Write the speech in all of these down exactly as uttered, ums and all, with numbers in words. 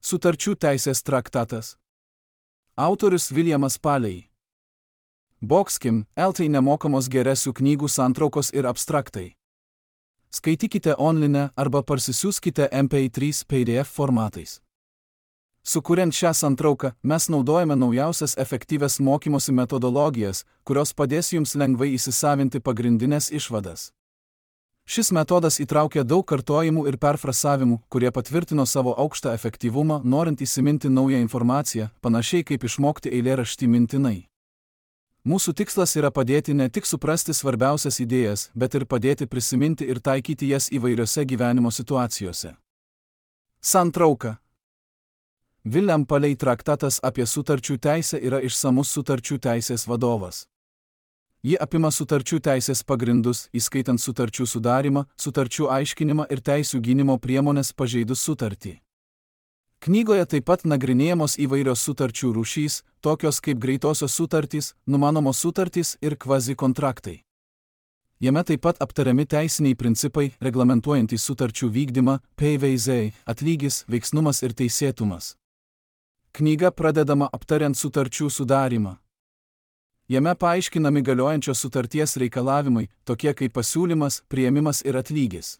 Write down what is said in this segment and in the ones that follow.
Sutarčių teisės traktatas. Autorius Viljamas Paley. Boxkim, L T nemokamos geresių knygų santraukos ir abstraktai. Skaitykite online arba parsisiųskite M P trys P D F formatais. Sukuriant šią santrauką, mes naudojame naujausias efektyvias mokymosi metodologijas, kurios padės jums lengvai įsisavinti pagrindinės išvadas. Šis metodas įtraukia daug kartojimų ir perfrasavimų, kurie patvirtino savo aukštą efektyvumą, norint įsiminti naują informaciją, panašiai kaip išmokti eilėraštį mintinai. Mūsų tikslas yra padėti ne tik suprasti svarbiausias idėjas, bet ir padėti prisiminti ir taikyti jas įvairiose gyvenimo situacijose. Santrauka. William Paley traktatas apie sutarčių teisę yra išsamus sutarčių teisės vadovas. Ji apima sutarčių teisės pagrindus, įskaitant sutarčių sudarimą, sutarčių aiškinimą ir teisių gynimo priemonės pažeidus sutartį. Knygoje taip pat nagrinėjamos įvairios sutarčių rūšys, tokios kaip greitosios sutartys, numanomos sutartys ir kvazi-kontraktai. Jame taip pat aptariami teisiniai principai, reglamentuojantys sutarčių vykdymą, P V Z, atlygis, veiksnumas ir teisėtumas. Knyga pradedama aptariant sutarčių sudarimą. Jame paaiškinami galiojančios sutarties reikalavimai, tokie kaip pasiūlymas, priėmimas ir atlygis.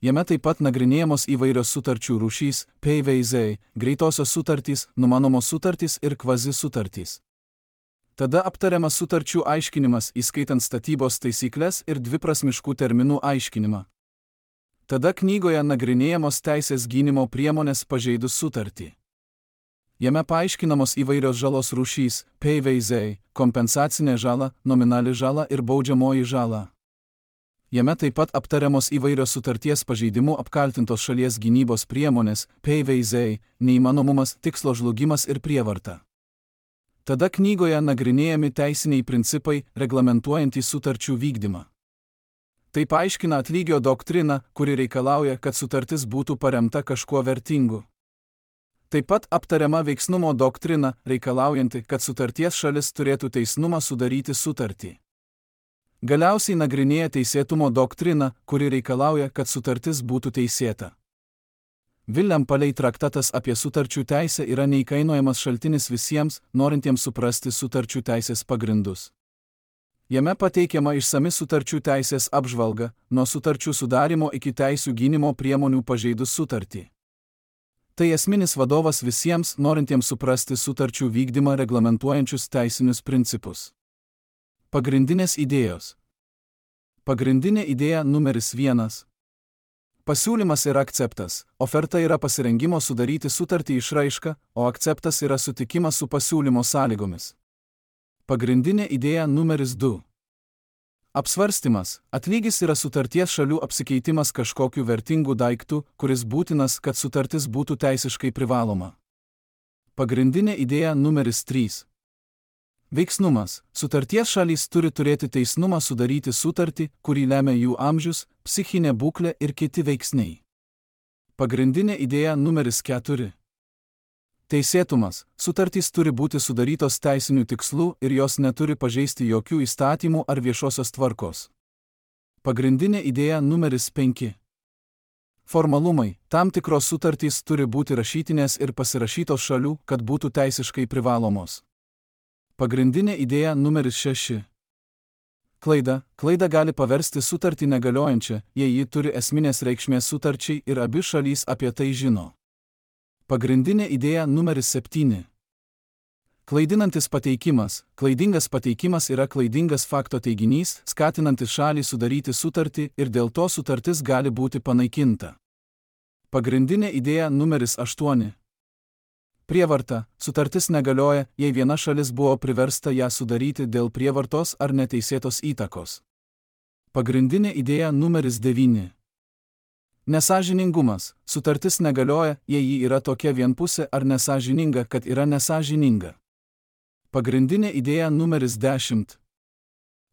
Jame taip pat nagrinėjamos įvairios sutarčių rūšys, P V Z, greitosios sutartys, numanomos sutartys ir kvazi sutartys. Tada aptariamas sutarčių aiškinimas, įskaitant statybos taisyklės ir dviprasmiškų terminų aiškinimą. Tada knygoje nagrinėjamos teisės gynimo priemonės pažeidus sutartį. Jame paaiškinamos įvairios žalos rūšys, P V Z, kompensacinė žala, nominali žala ir baudžiamoji žala. Jame taip pat aptariamos įvairios sutarties pažeidimų apkaltintos šalies gynybos priemonės, P V Z, neįmanomumas, tikslo žlugimas ir prievarta. Tada knygoje nagrinėjami teisiniai principai, reglamentuojantys sutarčių vykdymą. Tai paaiškina atlygio doktriną, kuri reikalauja, kad sutartis būtų paremta kažkuo vertingu. Taip pat aptariama veiksnumo doktrina, reikalaujanti, kad sutarties šalis turėtų teisnumą sudaryti sutartį. Galiausiai nagrinėja teisėtumo doktriną, kuri reikalauja, kad sutartis būtų teisėta. William Paley traktatas apie sutarčių teisę yra neįkainojamas šaltinis visiems, norintiems suprasti sutarčių teisės pagrindus. Jame pateikiama išsami sutarčių teisės apžvalga, nuo sutarčių sudarimo iki teisių gynimo priemonių pažeidus sutartį. Tai esminis vadovas visiems, norintiems suprasti sutarčių vykdymą reglamentuojančius teisinius principus. Pagrindinės idėjos. Pagrindinė idėja numeris vienas. Pasiūlymas yra akceptas, oferta yra pasirengimo sudaryti sutartį išraiška, o akceptas yra sutikimas su pasiūlymo sąlygomis. Pagrindinė idėja numeris du. Apsvarstymas. Atlygis yra sutarties šalių apsikeitimas kažkokiu vertingu daiktu, kuris būtinas, kad sutartis būtų teisiškai privaloma. Pagrindinė idėja numeris trys. Veiksnumas. Sutarties šalys turi turėti teisnumą sudaryti sutartį, kurį lemia jų amžius, psichinė būklė ir kiti veiksniai. Pagrindinė idėja numeris keturi. Teisėtumas. Sutartys turi būti sudarytos teisinių tikslų ir jos neturi pažeisti jokių įstatymų ar viešosios tvarkos. Pagrindinė idėja numeris penki. Formalumai. Tam tikros sutartys turi būti rašytinės ir pasirašytos šalių, kad būtų teisiškai privalomos. Pagrindinė idėja numeris šeši. Klaida. Klaida gali paversti sutartį negaliojančią, jei ji turi esminės reikšmės sutarčiai ir abi šalys apie tai žino. Pagrindinė idėja numeris septyni. Klaidinantis pateikimas. Klaidingas pateikimas yra klaidingas fakto teiginys, skatinantis šalį sudaryti sutartį ir dėl to sutartis gali būti panaikinta. Pagrindinė idėja numeris aštuoni. Prievarta. Sutartis negalioja, jei viena šalis buvo priversta ją sudaryti dėl prievartos ar neteisėtos įtakos. Pagrindinė idėja numeris devyni. Nesąžiningumas. Sutartis negalioja, jei ji yra tokia vienpusė ar nesąžininga, kad yra nesąžininga. Pagrindinė idėja numeris dešimt.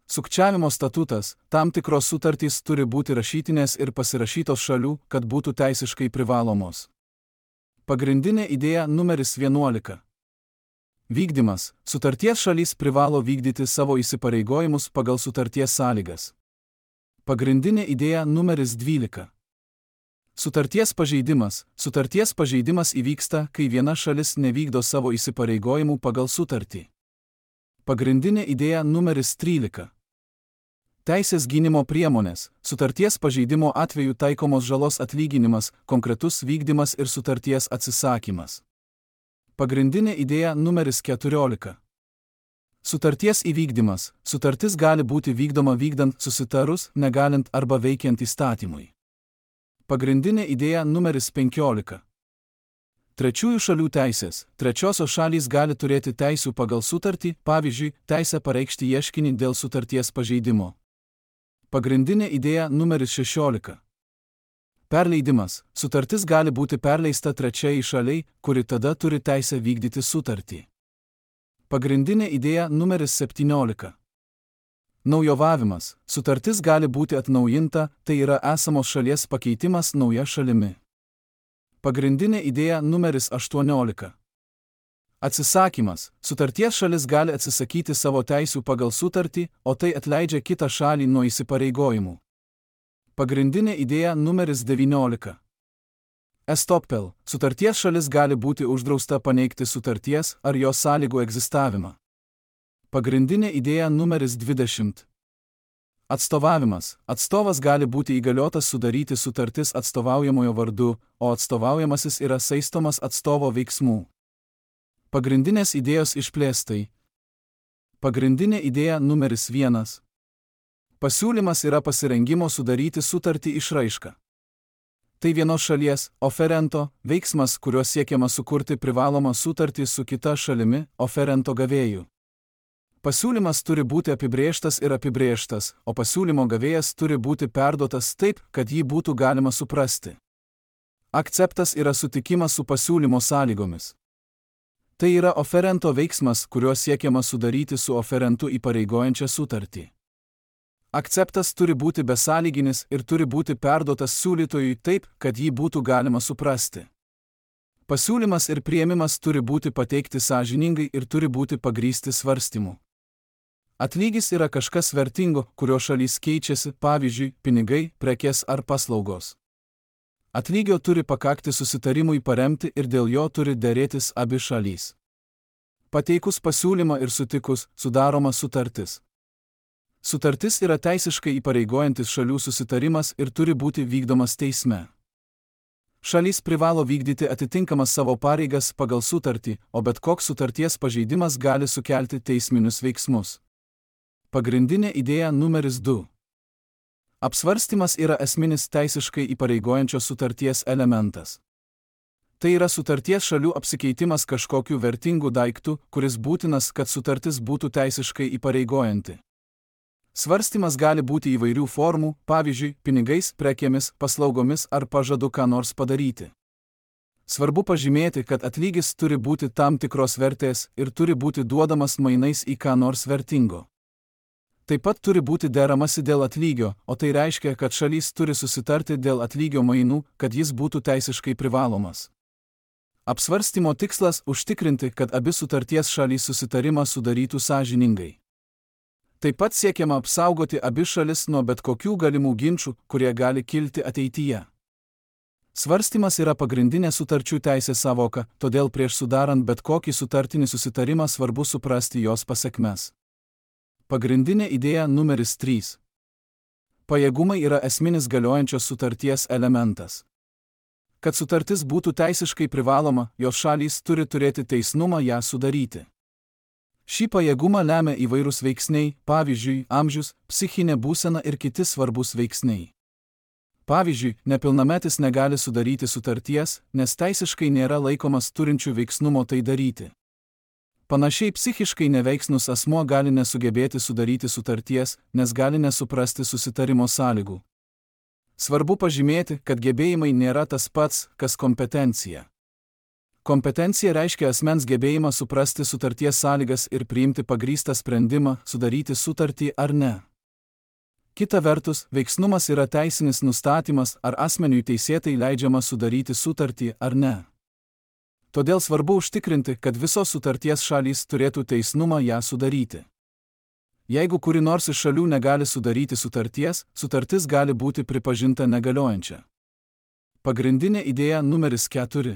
Sukčiavimo statutas. Tam tikros sutartys turi būti rašytinės ir pasirašytos šalių, kad būtų teisiškai privalomos. Pagrindinė idėja numeris vienuolika. Vykdymas. Sutarties šalys privalo vykdyti savo įsipareigojimus pagal sutarties sąlygas. Pagrindinė idėja numeris dvylika. Sutarties pažeidimas. Sutarties pažeidimas įvyksta, kai viena šalis nevykdo savo įsipareigojimų pagal sutartį. Pagrindinė idėja numeris trylika. Teisės gynimo priemonės. Sutarties pažeidimo atveju taikomos žalos atlyginimas, konkretus vykdymas ir sutarties atsisakymas. Pagrindinė idėja numeris keturiolika. Sutarties įvykdymas. Sutartis gali būti vykdoma vykdant susitarus, negalint arba veikiant įstatymui. Pagrindinė idėja numeris penkiolika. Trečiųjų šalių teisės. Trečiosios šalys gali turėti teisių pagal sutartį, pavyzdžiui, teisę pareikšti ieškinį dėl sutarties pažeidimo. Pagrindinė idėja numeris šešiolika. Perleidimas. Sutartis gali būti perleista trečiai šaliai, kuri tada turi teisę vykdyti sutartį. Pagrindinė idėja numeris septyniolika. Naujovavimas. Sutartis gali būti atnaujinta, tai yra esamos šalies pakeitimas nauja šalimi. Pagrindinė idėja numeris aštuoniolika. Atsisakymas. Sutarties šalis gali atsisakyti savo teisių pagal sutartį, o tai atleidžia kitą šalį nuo įsipareigojimų. Pagrindinė idėja numeris devyniolika. Estoppel. Sutarties šalis gali būti uždrausta paneigti sutarties ar jos sąlygų egzistavimą. Pagrindinė idėja numeris dvidešimt. Atstovavimas. Atstovas gali būti įgaliotas sudaryti sutartis atstovaujamojo vardu, o atstovaujamasis yra saistomas atstovo veiksmų. Pagrindinės idėjos išplėstai. Pagrindinė idėja numeris vienas. Pasiūlymas yra pasirengimo sudaryti sutartį išraiška. Tai vienos šalies, oferento, veiksmas, kuriuo siekiama sukurti privalomą sutartį su kita šalimi, oferento gavėju. Pasiūlymas turi būti apibrėžtas ir apibrėžtas, o pasiūlymo gavėjas turi būti perduotas taip, kad jį būtų galima suprasti. Akceptas yra sutikimas su pasiūlymo sąlygomis. Tai yra oferento veiksmas, kuriuo siekiama sudaryti su oferentu įpareigojančią sutartį. Akceptas turi būti besąlyginis ir turi būti perduotas siūlytojui taip, kad jį būtų galima suprasti. Pasiūlymas ir priėmimas turi būti pateikti sąžiningai ir turi būti pagrįsti svarstymu. Atlygis yra kažkas vertingo, kurio šalys keičiasi, pavyzdžiui, pinigai, prekės ar paslaugos. Atlygio turi pakakti susitarimui paremti ir dėl jo turi derėtis abi šalys. Pateikus pasiūlymą ir sutikus, sudaroma sutartis. Sutartis yra teisiškai įpareigojantis šalių susitarimas ir turi būti vykdomas teisme. Šalys privalo vykdyti atitinkamas savo pareigas pagal sutartį, o bet koks sutarties pažeidimas gali sukelti teisminius veiksmus. Pagrindinė idėja numeris du. Apsvarstymas yra esminis teisiškai įpareigojančios sutarties elementas. Tai yra sutarties šalių apsikeitimas kažkokiu vertingu daiktu, kuris būtinas, kad sutartis būtų teisiškai įpareigojanti. Svarstymas gali būti įvairių formų, pavyzdžiui, pinigais, prekėmis, paslaugomis ar pažadu ką nors padaryti. Svarbu pažymėti, kad atlygis turi būti tam tikros vertės ir turi būti duodamas mainais į ką nors vertingo. Taip pat turi būti deramasi dėl atlygio, o tai reiškia, kad šalys turi susitarti dėl atlygio mainų, kad jis būtų teisiškai privalomas. Apsvarstymo tikslas – užtikrinti, kad abi sutarties šalys susitarimą sudarytų sąžiningai. Taip pat siekiama apsaugoti abi šalis nuo bet kokių galimų ginčų, kurie gali kilti ateityje. Svarstymas yra pagrindinė sutarčių teisės savoka, todėl prieš sudarant bet kokį sutartinį susitarimą svarbu suprasti jos pasekmes. Pagrindinė idėja numeris trys. Pajėgumai yra esminis galiojančios sutarties elementas. Kad sutartis būtų teisiškai privaloma, jos šalys turi turėti teisnumą ją sudaryti. Šį pajėgumą lemia įvairūs veiksniai, pavyzdžiui, amžius, psichinė būsena ir kiti svarbus veiksniai. Pavyzdžiui, nepilnametis negali sudaryti sutarties, nes teisiškai nėra laikomas turinčių veiksnumo tai daryti. Panašiai psichiškai neveiksnus asmuo gali nesugebėti sudaryti sutarties, nes gali nesuprasti susitarimo sąlygų. Svarbu pažymėti, kad gebėjimai nėra tas pats, kas kompetencija. Kompetencija reiškia asmens gebėjimą suprasti sutarties sąlygas ir priimti pagrįstą sprendimą, sudaryti sutartį ar ne. Kita vertus, veiksnumas yra teisinis nustatymas, ar asmeniui teisėtai leidžiama sudaryti sutartį ar ne. Todėl svarbu užtikrinti, kad visos sutarties šalys turėtų teisnumą ją sudaryti. Jeigu kuri nors iš šalių negali sudaryti sutarties, sutartis gali būti pripažinta negaliojančia. Pagrindinė idėja numeris keturi.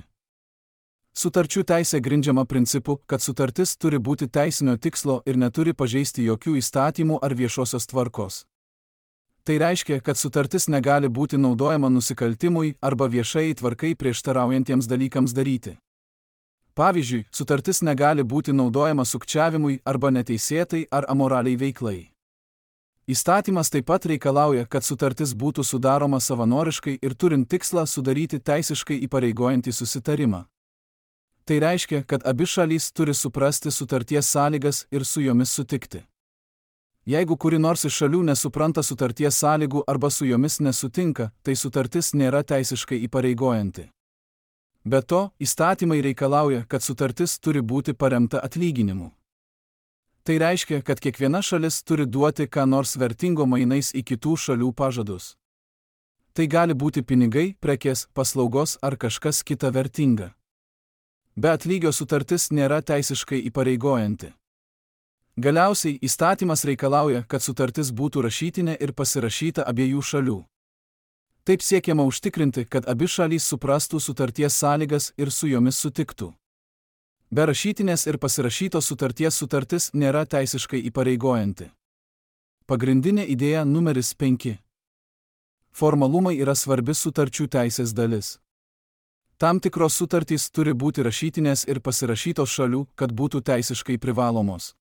Sutarčių teisė grindžiama principu, kad sutartis turi būti teisinio tikslo ir neturi pažeisti jokių įstatymų ar viešosios tvarkos. Tai reiškia, kad sutartis negali būti naudojama nusikaltimui arba viešai tvarkai prieštaraujantiems dalykams daryti. Pavyzdžiui, sutartis negali būti naudojama sukčiavimui arba neteisėtai ar amoraliai veiklai. Įstatymas taip pat reikalauja, kad sutartis būtų sudaroma savanoriškai ir turint tikslą sudaryti teisiškai įpareigojantį susitarimą. Tai reiškia, kad abi šalys turi suprasti sutarties sąlygas ir su jomis sutikti. Jeigu kuri nors iš šalių nesupranta sutarties sąlygų arba su jomis nesutinka, tai sutartis nėra teisiškai įpareigojanti. Be to, įstatymai reikalauja, kad sutartis turi būti paremta atlyginimu. Tai reiškia, kad kiekviena šalis turi duoti ką nors vertingo mainais į kitų šalių pažadus. Tai gali būti pinigai, prekės, paslaugos ar kažkas kita vertinga. Be atlygio sutartis nėra teisiškai įpareigojanti. Galiausiai, įstatymas reikalauja, kad sutartis būtų rašytinė ir pasirašyta abiejų šalių. Taip siekiama užtikrinti, kad abi šalys suprastų sutarties sąlygas ir su jomis sutiktų. Be rašytinės ir pasirašytos sutarties sutartis nėra teisiškai įpareigojanti. Pagrindinė idėja numeris penki. Formalumai yra svarbi sutarčių teisės dalis. Tam tikros sutartys turi būti rašytinės ir pasirašytos šalių, kad būtų teisiškai privalomos.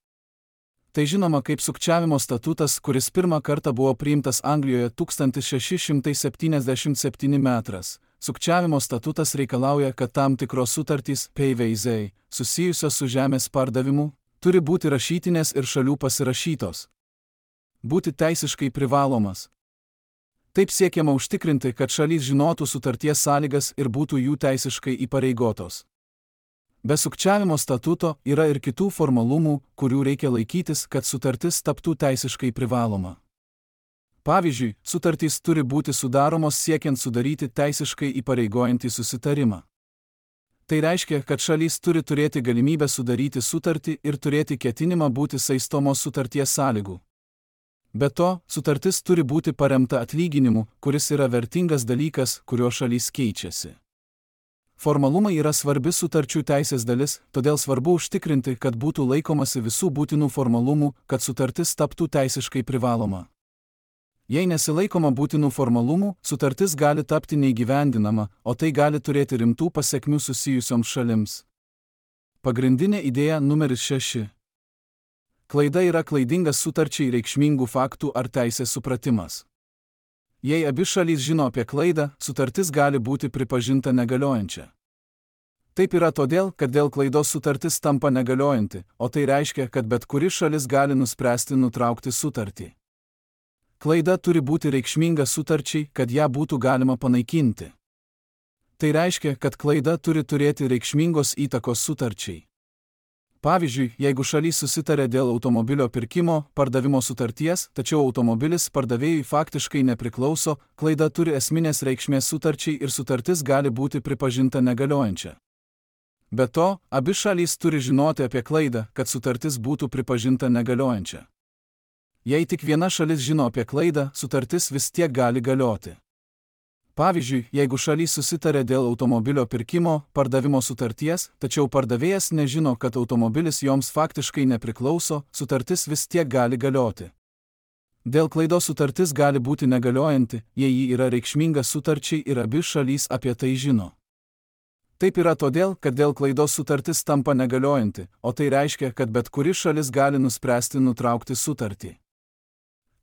Tai žinoma kaip sukčiavimo statutas, kuris pirmą kartą buvo priimtas Anglijoje tūkstantis šeši šimtai septyniasdešimt septintais metais. Sukčiavimo statutas reikalauja, kad tam tikros sutartys P V Z susijusios su žemės pardavimu turi būti rašytinės ir šalių pasirašytos. Būti teisiškai privalomas. Taip siekiama užtikrinti, kad šalys žinotų sutarties sąlygas ir būtų jų teisiškai įpareigotos. Be sukčiavimo statuto yra ir kitų formalumų, kurių reikia laikytis, kad sutartis taptų teisiškai privaloma. Pavyzdžiui, sutartys turi būti sudaromos siekiant sudaryti teisiškai įpareigojantį susitarimą. Tai reiškia, kad šalys turi turėti galimybę sudaryti sutartį ir turėti ketinimą būti saistomos sutarties sąlygų. Be to, sutartis turi būti paremta atlyginimu, kuris yra vertingas dalykas, kurio šalys keičiasi. Formalumai yra svarbi sutarčių teisės dalis, todėl svarbu užtikrinti, kad būtų laikomasi visų būtinų formalumų, kad sutartis taptų teisiškai privaloma. Jei nesilaikoma būtinų formalumų, sutartis gali tapti neįgyvendinama, o tai gali turėti rimtų pasekmių susijusioms šalims. Pagrindinė idėja numeris šeši. Klaida yra klaidingas sutarčiai reikšmingų faktų ar teisės supratimas. Jei abi šalys žino apie klaidą, sutartis gali būti pripažinta negaliojančia. Taip yra todėl, kad dėl klaidos sutartis tampa negaliojanti, o tai reiškia, kad bet kuri šalis gali nuspręsti nutraukti sutartį. Klaida turi būti reikšminga sutarčiai, kad ją būtų galima panaikinti. Tai reiškia, kad klaida turi turėti reikšmingos įtakos sutarčiai. Pavyzdžiui, jeigu šalys susitarė dėl automobilio pirkimo, pardavimo sutarties, tačiau automobilis pardavėjui faktiškai nepriklauso, klaida turi esminės reikšmės sutarčiai ir sutartis gali būti pripažinta negaliojančia. Be to, abi šalys turi žinoti apie klaidą, kad sutartis būtų pripažinta negaliojančia. Jei tik viena šalis žino apie klaidą, sutartis vis tiek gali galioti. Pavyzdžiui, jeigu šalys susitarė dėl automobilio pirkimo, pardavimo sutarties, tačiau pardavėjas nežino, kad automobilis joms faktiškai nepriklauso, sutartis vis tiek gali galioti. Dėl klaidos sutartis gali būti negaliojanti, jei ji yra reikšminga sutarčiai ir abi šalys apie tai žino. Taip yra todėl, kad dėl klaidos sutartis tampa negaliojanti, o tai reiškia, kad bet kuri šalis gali nuspręsti nutraukti sutartį.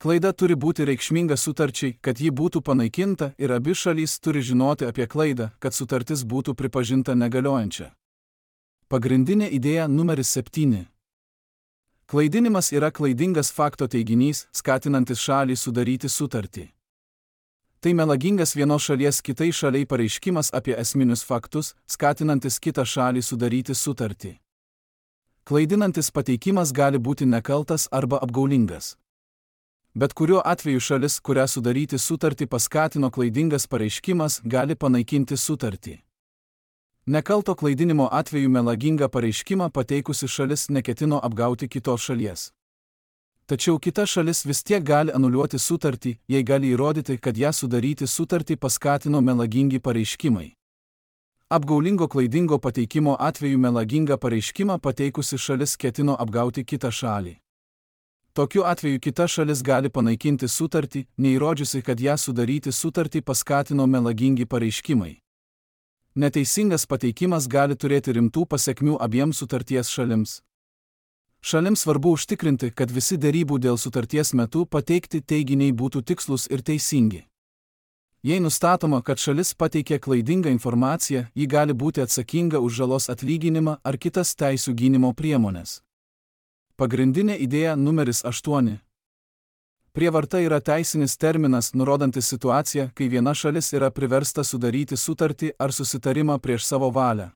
Klaida turi būti reikšminga sutarčiai, kad ji būtų panaikinta ir abi šalys turi žinoti apie klaidą, kad sutartis būtų pripažinta negaliojančia. Pagrindinė idėja numeris septyni. Klaidinimas yra klaidingas fakto teiginys, skatinantis šalį sudaryti sutartį. Tai melagingas vienos šalies kitai šaliai pareiškimas apie esminius faktus, skatinantis kitą šalį sudaryti sutartį. Klaidinantis pateikimas gali būti nekaltas arba apgaulingas. Bet kuriuo atveju šalis, kurią sudaryti sutartį paskatino klaidingas pareiškimas, gali panaikinti sutartį. Nekalto klaidinimo atveju melagingą pareiškimą pateikusi šalis neketino apgauti kitos šalies. Tačiau kita šalis vis tiek gali anuliuoti sutartį, jei gali įrodyti, kad ją sudaryti sutartį paskatino melagingi pareiškimai. Apgaulingo klaidingo pateikimo atveju melagingą pareiškimą pateikusi šalis ketino apgauti kitą šalį. Tokiu atveju kita šalis gali panaikinti sutartį, neįrodžiusi, kad ją sudaryti sutartį paskatino melagingi pareiškimai. Neteisingas pateikimas gali turėti rimtų pasekmių abiems sutarties šalims. Šalims svarbu užtikrinti, kad visi derybų dėl sutarties metu pateikti teiginiai būtų tikslūs ir teisingi. Jei nustatoma, kad šalis pateikė klaidingą informaciją, ji gali būti atsakinga už žalos atlyginimą ar kitas teisių gynimo priemonės. Pagrindinė idėja numeris aštuoni. Prievarta yra teisinis terminas, nurodantis situaciją, kai viena šalis yra priversta sudaryti sutartį ar susitarimą prieš savo valią.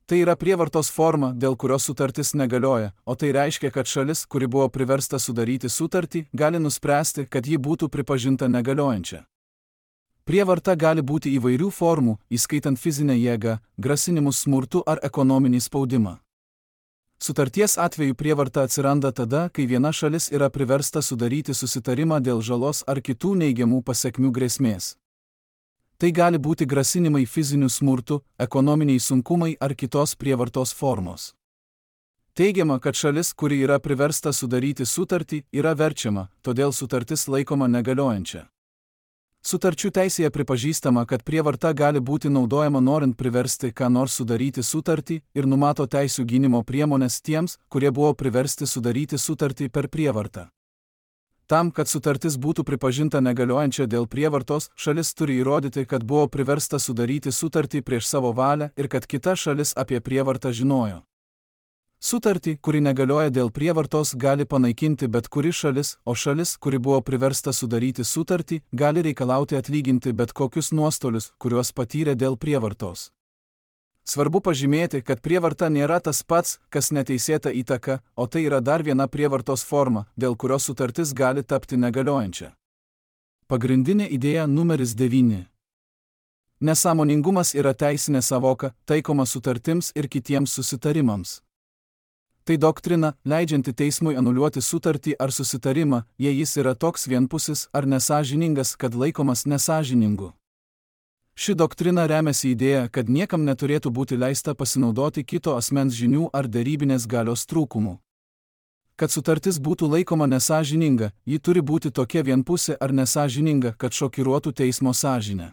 Tai yra prievartos forma, dėl kurios sutartis negalioja, o tai reiškia, kad šalis, kuri buvo priversta sudaryti sutartį, gali nuspręsti, kad ji būtų pripažinta negaliojančia. Prievarta gali būti įvairių formų, įskaitant fizinę jėgą, grasinimus smurtu ar ekonominį spaudimą. Sutarties atveju prievarta atsiranda tada, kai viena šalis yra priversta sudaryti susitarimą dėl žalos ar kitų neigiamų pasekmių grėsmės. Tai gali būti grasinimai fiziniu smurtu, ekonominiai sunkumai ar kitos prievartos formos. Teigiama, kad šalis, kuri yra priversta sudaryti sutartį, yra verčiama, todėl sutartis laikoma negaliojančia. Sutarčių teisėje pripažįstama, kad prievarta gali būti naudojama norint priversti ką nors sudaryti sutartį ir numato teisių gynimo priemonės tiems, kurie buvo priversti sudaryti sutartį per prievartą. Tam, kad sutartis būtų pripažinta negaliojančia dėl prievartos, šalis turi įrodyti, kad buvo priversta sudaryti sutartį prieš savo valią ir kad kita šalis apie prievartą žinojo. Sutartį, kuri negalioja dėl prievartos, gali panaikinti bet kuri šalis, o šalis, kuri buvo priversta sudaryti sutartį, gali reikalauti atlyginti bet kokius nuostolius, kuriuos patyrė dėl prievartos. Svarbu pažymėti, kad prievarta nėra tas pats, kas neteisėta įtaka, o tai yra dar viena prievartos forma, dėl kurios sutartis gali tapti negaliojančia. Pagrindinė idėja numeris devyni. Nesąmoningumas yra teisinė savoka, taikoma sutartims ir kitiems susitarimams. Tai doktrina, leidžianti teismui anuliuoti sutartį ar susitarimą, jei jis yra toks vienpusis ar nesąžiningas, kad laikomas nesąžiningu. Ši doktrina remiasi idėja, kad niekam neturėtų būti leista pasinaudoti kito asmens žinių ar derybinės galios trūkumų. Kad sutartis būtų laikoma nesąžininga, ji turi būti tokia vienpusė ar nesąžininga, kad šokiruotų teismo sąžinę.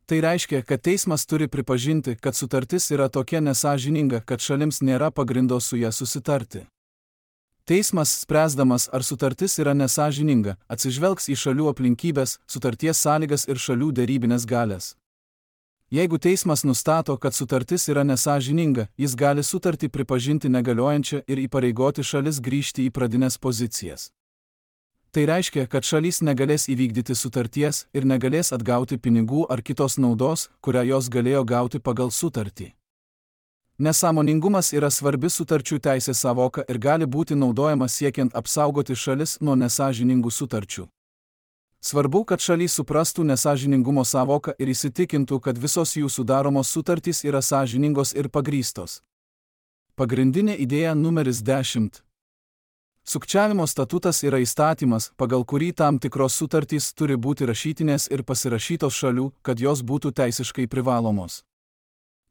Tai reiškia, kad teismas turi pripažinti, kad sutartis yra tokia nesąžininga, kad šalims nėra pagrindo su ja susitarti. Teismas, spręsdamas, ar sutartis yra nesąžininga, atsižvelgs į šalių aplinkybės, sutarties sąlygas ir šalių derybinės galias. Jeigu teismas nustato, kad sutartis yra nesąžininga, jis gali sutartį pripažinti negaliojančią ir įpareigoti šalis grįžti į pradines pozicijas. Tai reiškia, kad šalys negalės įvykdyti sutarties ir negalės atgauti pinigų ar kitos naudos, kurią jos galėjo gauti pagal sutartį. Nesąmoningumas yra svarbi sutarčių teisės savoka ir gali būti naudojama siekiant apsaugoti šalis nuo nesąžiningų sutarčių. Svarbu, kad šalys suprastų nesąžiningumo savoką ir įsitikintų, kad visos jų sudaromos sutartys yra sąžiningos ir pagrįstos. Pagrindinė idėja numeris dešimt. Sukčiavimo statutas yra įstatymas, pagal kurį tam tikros sutartys turi būti rašytinės ir pasirašytos šalių, kad jos būtų teisiškai privalomos.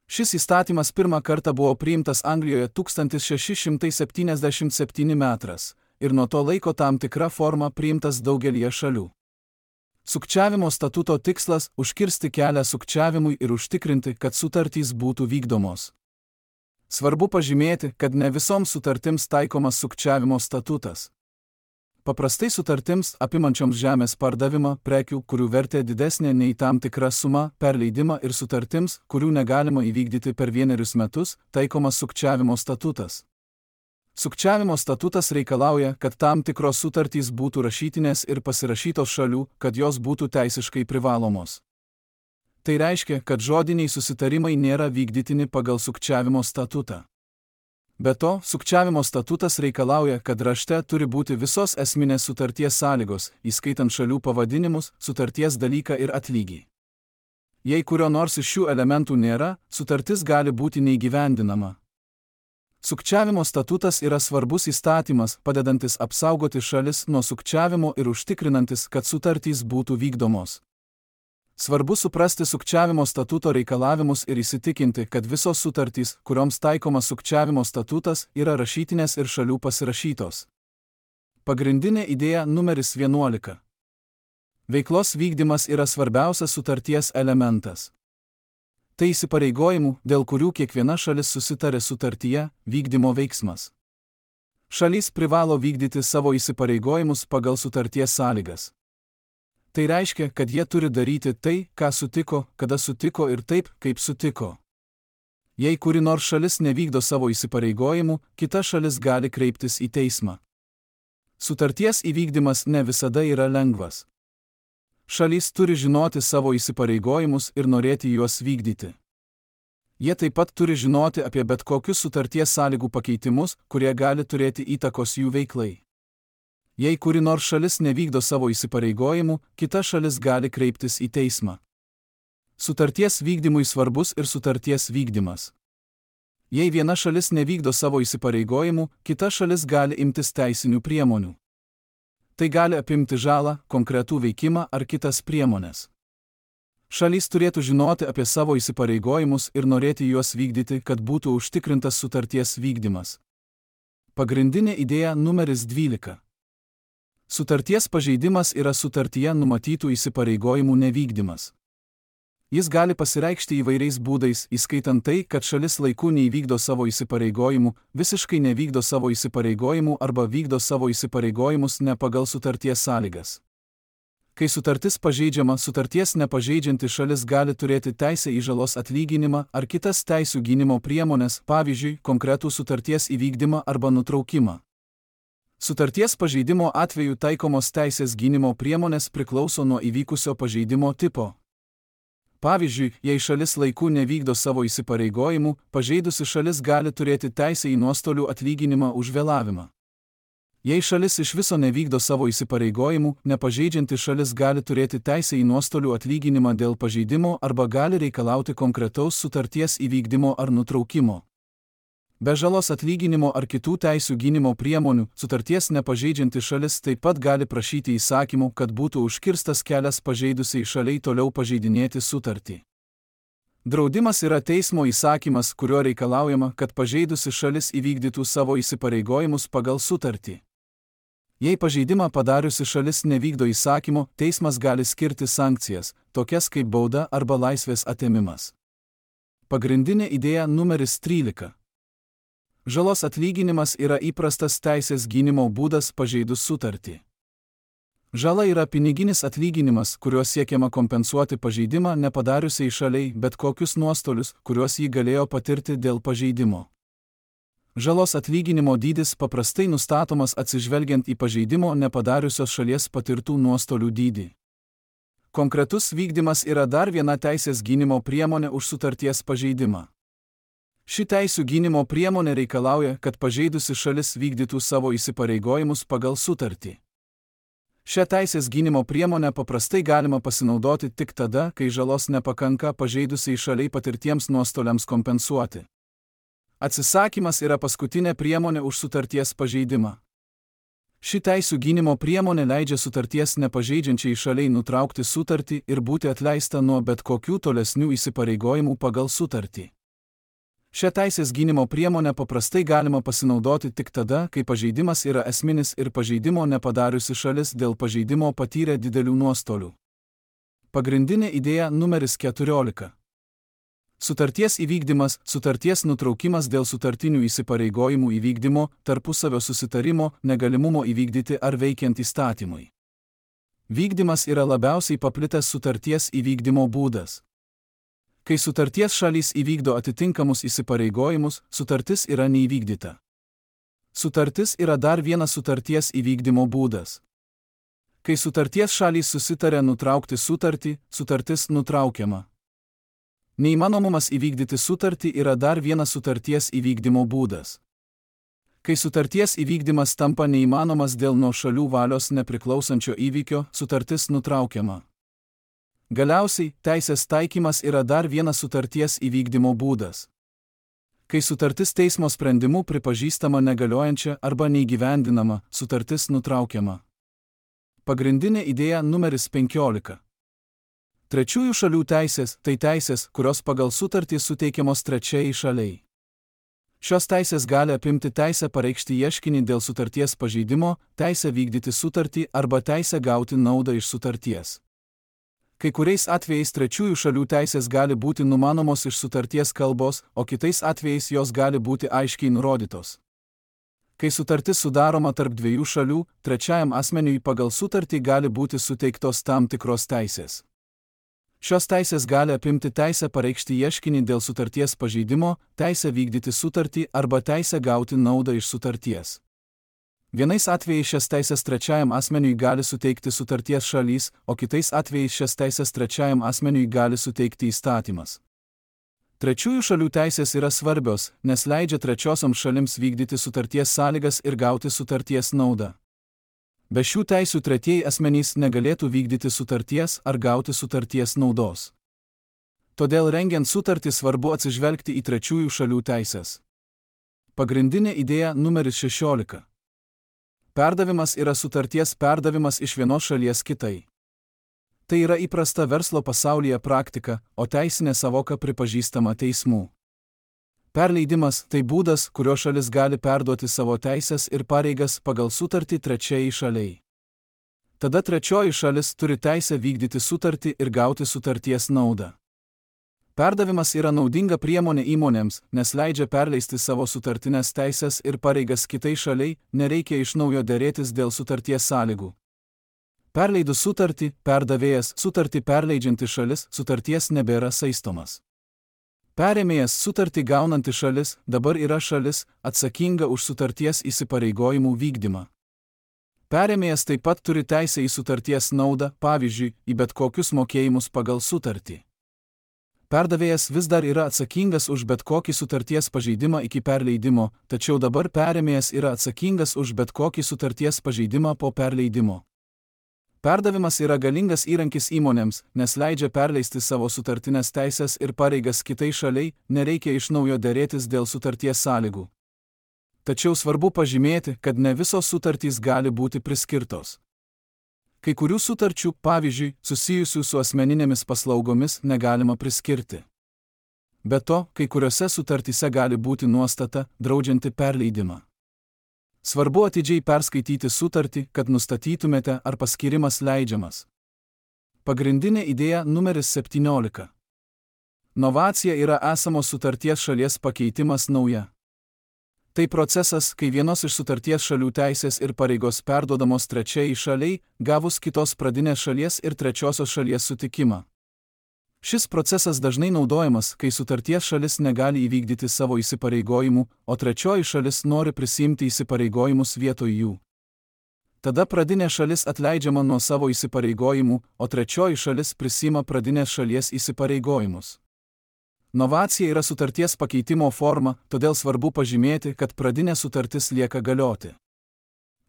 Šis įstatymas pirmą kartą buvo priimtas Anglijoje tūkstantis šeši šimtai septyniasdešimt septyni metras ir nuo to laiko tam tikra forma priimtas daugelyje šalių. Sukčiavimo statuto tikslas – užkirsti kelią sukčiavimui ir užtikrinti, kad sutartys būtų vykdomos. Svarbu pažymėti, kad ne visoms sutartims taikomas sukčiavimo statutas. Paprastai sutartims, apimančioms žemės pardavimą, prekių, kurių vertė didesnė nei tam tikra suma, perleidimą ir sutartims, kurių negalima įvykdyti per vienerius metus, taikomas sukčiavimo statutas. Sukčiavimo statutas reikalauja, kad tam tikros sutartys būtų rašytinės ir pasirašytos šalių, kad jos būtų teisiškai privalomos. Tai reiškia, kad žodiniai susitarimai nėra vykdytini pagal sukčiavimo statutą. Be to, sukčiavimo statutas reikalauja, kad rašte turi būti visos esminės sutarties sąlygos, įskaitant šalių pavadinimus, sutarties dalyką ir atlygį. Jei kurio nors iš šių elementų nėra, sutartis gali būti neįgyvendinama. Sukčiavimo statutas yra svarbus įstatymas, padedantis apsaugoti šalis nuo sukčiavimo ir užtikrinantis, kad sutartys būtų vykdomos. Svarbu suprasti sukčiavimo statuto reikalavimus ir įsitikinti, kad visos sutartys, kurioms taikomas sukčiavimo statutas, yra rašytinės ir šalių pasirašytos. Pagrindinė idėja numeris vienuolika. Veiklos vykdymas yra svarbiausias sutarties elementas. Tai įsipareigojimų, dėl kurių kiekviena šalis susitarė sutartyje, vykdymo veiksmas. Šalys privalo vykdyti savo įsipareigojimus pagal sutarties sąlygas. Tai reiškia, kad jie turi daryti tai, ką sutiko, kada sutiko ir taip, kaip sutiko. Jei kuri nors šalis nevykdo savo įsipareigojimų, kita šalis gali kreiptis į teismą. Sutarties įvykdymas ne visada yra lengvas. Šalys turi žinoti savo įsipareigojimus ir norėti juos vykdyti. Jie taip pat turi žinoti apie bet kokius sutarties sąlygų pakeitimus, kurie gali turėti įtakos jų veiklai. Jei kuri nors šalis nevykdo savo įsipareigojimų, kita šalis gali kreiptis į teismą. Sutarties vykdymui svarbus ir sutarties vykdymas. Jei viena šalis nevykdo savo įsipareigojimų, kita šalis gali imtis teisinių priemonių. Tai gali apimti žalą, konkretų veikimą ar kitas priemonės. Šalys turėtų žinoti apie savo įsipareigojimus ir norėti juos vykdyti, kad būtų užtikrintas sutarties vykdymas. Pagrindinė idėja numeris dvylika. Sutarties pažeidimas yra sutartyje numatytų įsipareigojimų nevykdymas. Jis gali pasireikšti įvairiais būdais, įskaitant tai, kad šalis laiku neįvykdo savo įsipareigojimų, visiškai nevykdo savo įsipareigojimų arba vykdo savo įsipareigojimus ne pagal sutarties sąlygas. Kai sutartis pažeidžiama, sutarties nepažeidžianti šalis gali turėti teisę į žalos atlyginimą ar kitas teisių gynimo priemonės, pavyzdžiui, konkretų sutarties įvykdymą arba nutraukimą. Sutarties pažeidimo atveju taikomos teisės gynimo priemonės priklauso nuo įvykusio pažeidimo tipo. Pavyzdžiui, jei šalis laiku nevykdo savo įsipareigojimų, pažeidusi šalis gali turėti teisę į nuostolių atlyginimą už vėlavimą. Jei šalis iš viso nevykdo savo įsipareigojimų, nepažeidžianti šalis gali turėti teisę į nuostolių atlyginimą dėl pažeidimo arba gali reikalauti konkretaus sutarties įvykdymo ar nutraukimo. Be žalos atlyginimo ar kitų teisių gynimo priemonių, sutarties nepažeidžianti šalis taip pat gali prašyti įsakymų, kad būtų užkirstas kelias pažeidusiai šaliai toliau pažeidinėti sutartį. Draudimas yra teismo įsakymas, kuriuo reikalaujama, kad pažeidusi šalis įvykdytų savo įsipareigojimus pagal sutartį. Jei pažeidimą padariusi šalis nevykdo įsakymo, teismas gali skirti sankcijas, tokias kaip bauda arba laisvės atėmimas. Pagrindinė idėja numeris trylika. Žalos atlyginimas yra įprastas teisės gynimo būdas pažeidus sutartį. Žala yra piniginis atlyginimas, kuriuo siekiama kompensuoti pažeidimą nepadariusiai šaliai bet kokius nuostolius, kuriuos ji galėjo patirti dėl pažeidimo. Žalos atlyginimo dydis paprastai nustatomas atsižvelgiant į pažeidimo nepadariusios šalies patirtų nuostolių dydį. Konkretus vykdymas yra dar viena teisės gynimo priemonė už sutarties pažeidimą. Ši teisių gynimo priemonė reikalauja, kad pažeidusi šalis vykdytų savo įsipareigojimus pagal sutartį. Šią teisės gynimo priemonę paprastai galima pasinaudoti tik tada, kai žalos nepakanka pažeidusiai šaliai patirtiems nuostoliams kompensuoti. Atsisakymas yra paskutinė priemonė už sutarties pažeidimą. Ši teisių gynimo priemonė leidžia sutarties nepažeidžiančiai šaliai nutraukti sutartį ir būti atleista nuo bet kokių tolesnių įsipareigojimų pagal sutartį. Šią teisės gynimo priemonę paprastai galima pasinaudoti tik tada, kai pažeidimas yra esminis ir pažeidimo nepadariusi šalis dėl pažeidimo patyrė didelių nuostolių. Pagrindinė idėja numeris keturiolika. Sutarties įvykdymas, sutarties nutraukimas dėl sutartinių įsipareigojimų įvykdymo, tarpusavio susitarimo, negalimumo įvykdyti ar veikiant įstatymui. Vykdymas yra labiausiai paplitęs sutarties įvykdymo būdas. Kai sutarties šalys įvykdo atitinkamus įsipareigojimus, sutartis yra neįvykdyta. Sutartis yra dar vienas sutarties įvykdymo būdas. Kai sutarties šalys susitarė nutraukti sutartį, sutartis nutraukiama. Neįmanomumas įvykdyti sutartį yra dar vienas sutarties įvykdymo būdas. Kai sutarties įvykdymas tampa neįmanomas dėl nuo šalių valios nepriklausančio įvykio, sutartis nutraukiama. Galiausiai, teisės taikymas yra dar vienas sutarties įvykdymo būdas. Kai sutartis teismo sprendimu pripažįstama negaliojančia arba neįgyvendinama, sutartis nutraukiama. Pagrindinė idėja numeris penkiolika. Trečiųjų šalių teisės – tai teisės, kurios pagal sutartį suteikiamos trečiajai šaliai. Šios teisės gali apimti teisę pareikšti ieškinį dėl sutarties pažeidimo, teisę vykdyti sutartį arba teisę gauti naudą iš sutarties. Kai kuriais atvejais trečiųjų šalių teisės gali būti numanomos iš sutarties kalbos, o kitais atvejais jos gali būti aiškiai nurodytos. Kai sutartis sudaroma tarp dviejų šalių, trečiajam asmeniui pagal sutartį gali būti suteiktos tam tikros teisės. Šios teisės gali apimti teisę pareikšti ieškinį dėl sutarties pažeidimo, teisę vykdyti sutartį arba teisę gauti naudą iš sutarties. Vienais atvejais šias teisės trečiajam asmeniui gali suteikti sutarties šalys, o kitais atvejais šias teisės trečiajam asmeniui gali suteikti įstatymas. Trečiųjų šalių teisės yra svarbios, nes leidžia trečiosioms šalims vykdyti sutarties sąlygas ir gauti sutarties naudą. Be šių teisių tretieji asmenys negalėtų vykdyti sutarties ar gauti sutarties naudos. Todėl rengiant sutartį svarbu atsižvelgti į trečiųjų šalių teisės. Pagrindinė idėja numeris šešiolika. Perdavimas yra sutarties perdavimas iš vienos šalies kitai. Tai yra įprasta verslo pasaulyje praktika, o teisinė savoka pripažįstama teismų. Perleidimas – tai būdas, kuriuo šalis gali perduoti savo teisės ir pareigas pagal sutartį trečiajai šaliai. Tada trečioji šalis turi teisę vykdyti sutartį ir gauti sutarties naudą. Perdavimas yra naudinga priemonė įmonėms, nes leidžia perleisti savo sutartines teisės ir pareigas kitai šaliai, nereikia iš naujo derėtis dėl sutarties sąlygų. Perleidus sutartį, perdavėjas, sutartį perleidžianti šalis, sutarties nebėra saistomas. Perėmėjas sutartį gaunanti šalis dabar yra šalis, atsakinga už sutarties įsipareigojimų vykdymą. Perėmėjas taip pat turi teisę į sutarties naudą, pavyzdžiui, į bet kokius mokėjimus pagal sutartį. Perdavėjas vis dar yra atsakingas už bet kokį sutarties pažeidimą iki perleidimo, tačiau dabar perėmėjas yra atsakingas už bet kokį sutarties pažeidimą po perleidimo. Perdavimas yra galingas įrankis įmonėms, nes leidžia perleisti savo sutartines teisės ir pareigas kitai šaliai, nereikia iš naujo derėtis dėl sutarties sąlygų. Tačiau svarbu pažymėti, kad ne visos sutartys gali būti priskirtos. Kai kurių sutarčių, pavyzdžiui, susijusių su asmeninėmis paslaugomis, negalima priskirti. Be to, kai kuriuose sutartyse gali būti nuostata, draudžianti perleidimą. Svarbu atidžiai perskaityti sutartį, kad nustatytumėte, ar paskirimas leidžiamas. Pagrindinė idėja numeris septyniolika. Novacija yra esamos sutarties šalies pakeitimas nauja. Tai procesas, kai vienos iš sutarties šalių teisės ir pareigos perduodamos trečiajai šaliai, gavus kitos pradinės šalies ir trečiosios šalies sutikimą. Šis procesas dažnai naudojamas, kai sutarties šalis negali įvykdyti savo įsipareigojimų, o trečioji šalis nori prisiimti įsipareigojimus vietoj jų. Tada pradinė šalis atleidžiama nuo savo įsipareigojimų, o trečioji šalis prisiima pradinės šalies įsipareigojimus. Novacija yra sutarties pakeitimo forma, todėl svarbu pažymėti, kad pradinė sutartis lieka galioti.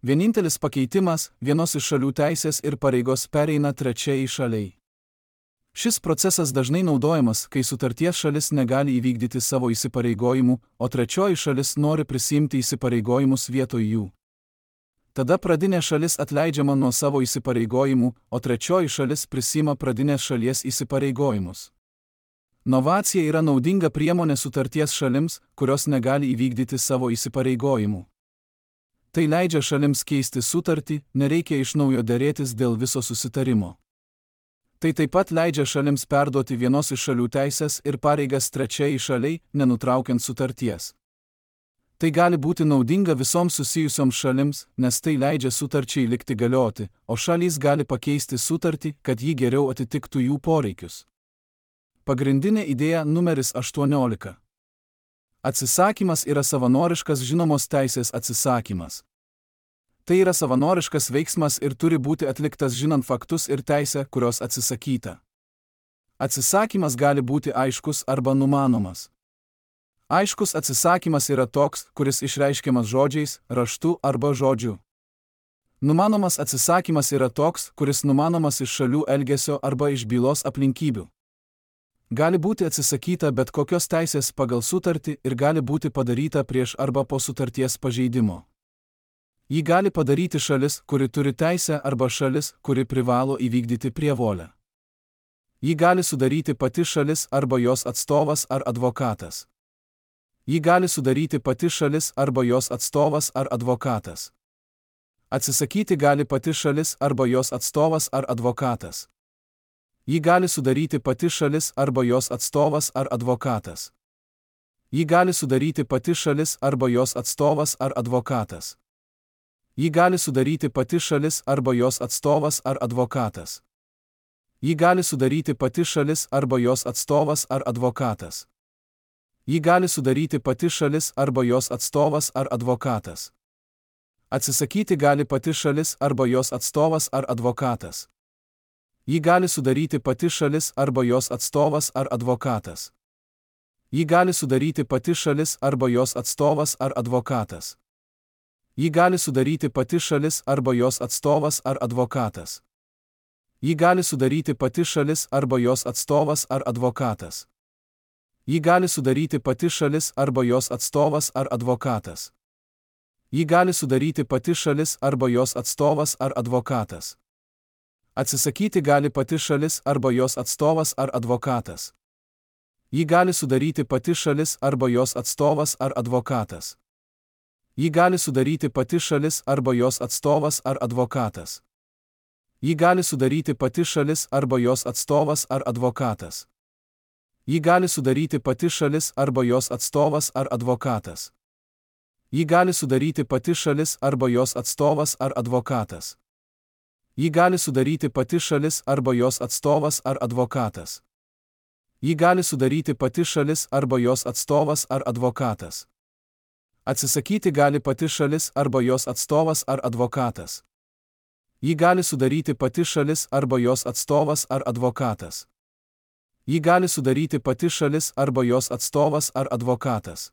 Vienintelis pakeitimas – vienos iš šalių teisės ir pareigos pereina trečiajai šaliai. Šis procesas dažnai naudojamas, kai sutarties šalis negali įvykdyti savo įsipareigojimų, o trečioji šalis nori prisiimti įsipareigojimus vietoj jų. Tada pradinė šalis atleidžiama nuo savo įsipareigojimų, o trečioji šalis prisiima pradinės šalies įsipareigojimus. Novacija yra naudinga priemonė sutarties šalims, kurios negali įvykdyti savo įsipareigojimų. Tai leidžia šalims keisti sutartį, nereikia iš naujo derėtis dėl viso susitarimo. Tai taip pat leidžia šalims perduoti vienos iš šalių teisės ir pareigas trečiajai šaliai, nenutraukiant sutarties. Tai gali būti naudinga visoms susijusioms šalims, nes tai leidžia sutarčiai likti galioti, o šalys gali pakeisti sutartį, kad ji geriau atitiktų jų poreikius. Pagrindinė idėja numeris aštuoniolika. Atsisakymas yra savanoriškas žinomos teisės atsisakymas. Tai yra savanoriškas veiksmas ir turi būti atliktas žinant faktus ir teisę, kurios atsisakyta. Atsisakymas gali būti aiškus arba numanomas. Aiškus atsisakymas yra toks, kuris išreiškiamas žodžiais, raštu arba žodžiu. Numanomas atsisakymas yra toks, kuris numanomas iš šalių elgesio arba iš bylos aplinkybių. Gali būti atsisakyta bet kokios teisės pagal sutartį ir gali būti padaryta prieš arba po sutarties pažeidimo. Jį gali padaryti šalis, kuri turi teisę, arba šalis, kuri privalo įvykdyti prievolę. Jį gali sudaryti pati šalis arba jos atstovas ar advokatas. Jį gali sudaryti pati šalis arba jos atstovas ar advokatas. Atsisakyti gali pati šalis arba jos atstovas ar advokatas. Jį gali sudaryti pati šalis arba jos atstovas ar advokatas. Jį gali sudaryti pati šalis arba jos atstovas ar advokatas. Jį gali sudaryti pati šalis arba jos atstovas ar advokatas. Jį gali sudaryti pati šalis arba jos atstovas ar advokatas. Jį gali sudaryti pati šalis arba jos atstovas ar advokatas. Atsisakyti gali pati šalis arba jos atstovas ar advokatas. Jį gali sudaryti pati šalis arba jos atstovas ar advokatas. Jį gali sudaryti pati šalis arba jos atstovas ar advokatas. Jį gali sudaryti pati šalis arba jos atstovas ar advokatas. Jį gali sudaryti pati šalis arba jos atstovas ar advokatas. Jį gali sudaryti pati šalis arba jos atstovas ar advokatas. Jį gali sudaryti pati šalis arba jos atstovas ar advokatas. Atsisakyti gali pati šalis arba jos atstovas ar advokatas. Jį gali sudaryti pati šalis arba jos atstovas ar advokatas. Jį gali sudaryti pati šalis arba jos atstovas ar advokatas. Jį gali sudaryti pati šalis arba jos atstovas ar advokatas. Jį gali sudaryti pati šalis arba jos atstovas ar advokatas. Jį gali sudaryti pati šalis arba jos atstovas ar advokatas. Jį gali sudaryti pati šalis arba jos atstovas ar advokatas. Jį gali sudaryti pati šalis arba jos atstovas ar advokatas. Atsisakyti gali pati šalis arba jos atstovas ar advokatas. Jį gali sudaryti pati šalis arba jos atstovas ar advokatas. Jį gali sudaryti pati šalis arba jos atstovas ar advokatas.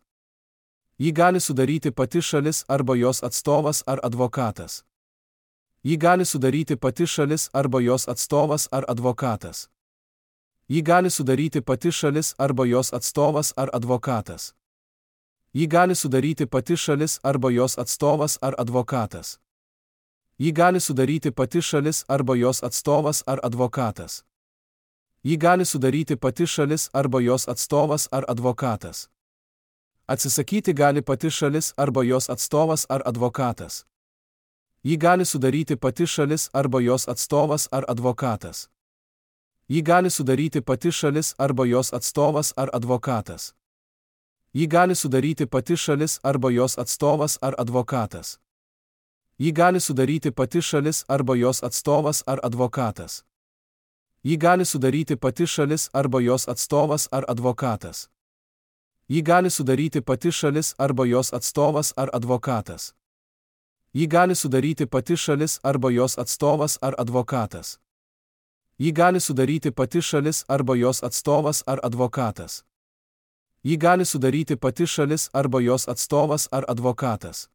Jį gali sudaryti pati šalis arba jos atstovas ar advokatas. Jį gali sudaryti pati šalis arba jos atstovas ar advokatas. Jį gali sudaryti pati šalis arba jos atstovas ar advokatas. Jį gali sudaryti pati šalis arba jos atstovas ar advokatas. Jį gali sudaryti pati šalis arba jos atstovas ar advokatas. Jį gali sudaryti pati šalis arba jos atstovas ar advokatas. Atsisakyti gali pati šalis arba jos atstovas ar advokatas. Jį gali sudaryti pati šalis arba jos atstovas ar advokatas. Jį gali sudaryti pati šalis arba jos atstovas ar advokatas. Jį gali sudaryti pati šalis arba jos atstovas ar advokatas. Jį gali sudaryti pati šalis arba jos atstovas ar advokatas. Jį gali sudaryti pati šalis arba jos atstovas ar advokatas. Jį gali sudaryti pati šalis arba jos atstovas ar advokatas. Jį gali sudaryti pati šalis arba jos atstovas ar advokatas. Jį gali sudaryti pati šalis arba jos atstovas ar advokatas. Jį gali sudaryti pati šalis arba jos atstovas ar advokatas.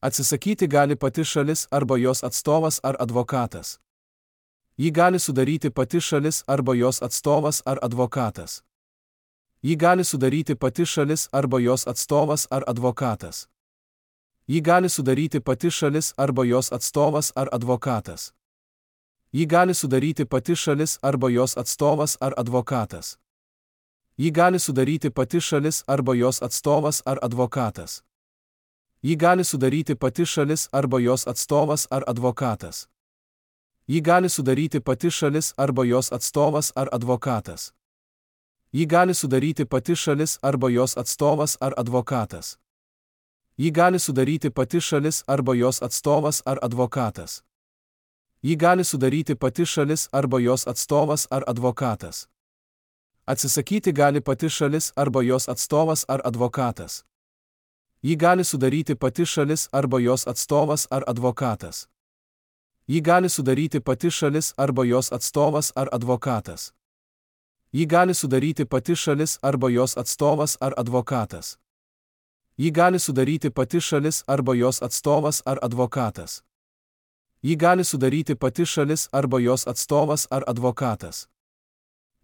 Atsisakyti gali pati šalis arba jos atstovas ar advokatas. Jį gali sudaryti pati šalis arba jos atstovas ar advokatas. Jį gali sudaryti pati šalis arba jos atstovas ar advokatas. Jį gali sudaryti pati šalis arba jos atstovas ar advokatas. Jį gali sudaryti pati šalis arba jos atstovas ar advokatas. Jį gali sudaryti pati šalis arba jos atstovas ar advokatas. Jį gali sudaryti pati šalis arba jos atstovas ar advokatas. Jį gali sudaryti pati šalis arba jos atstovas ar advokatas. Jį gali sudaryti pati šalis arba jos atstovas ar advokatas. Jį gali sudaryti pati šalis arba jos atstovas ar advokatas. Jį gali sudaryti pati šalis arba jos atstovas ar advokatas. Atsisakyti gali pati šalis arba jos atstovas ar advokatas. Jį gali sudaryti pati šalis arba jos atstovas ar advokatas. Jį gali sudaryti pati šalis arba jos atstovas ar advokatas. Jį gali sudaryti pati šalis arba jos atstovas ar advokatas. Jį gali sudaryti pati šalis arba jos atstovas ar advokatas. Jį gali sudaryti pati šalis arba jos atstovas ar advokatas.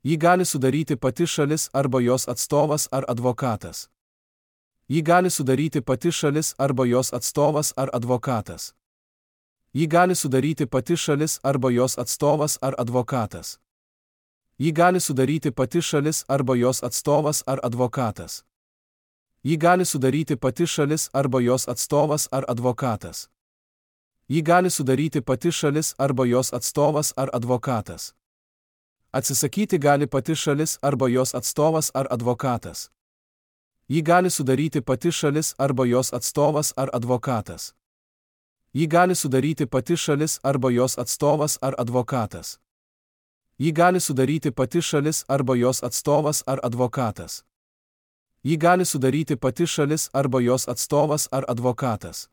Jį gali sudaryti pati šalis arba jos atstovas ar advokatas. Jį gali sudaryti pati šalis arba jos atstovas ar advokatas. Jį gali sudaryti pati šalis arba jos atstovas ar advokatas. Jį gali sudaryti pati šalis arba jos atstovas ar advokatas. Jį gali sudaryti pati šalis arba jos atstovas ar advokatas. Jį gali sudaryti pati šalis arba jos atstovas ar advokatas. Atsisakyti gali pati šalis arba jos atstovas ar advokatas. Jį gali sudaryti pati šalis arba jos atstovas ar advokatas. Jį gali sudaryti pati šalis arba jos atstovas ar advokatas. Jį gali sudaryti pati šalis arba jos atstovas ar advokatas. Jį gali sudaryti pati šalis arba jos atstovas ar advokatas.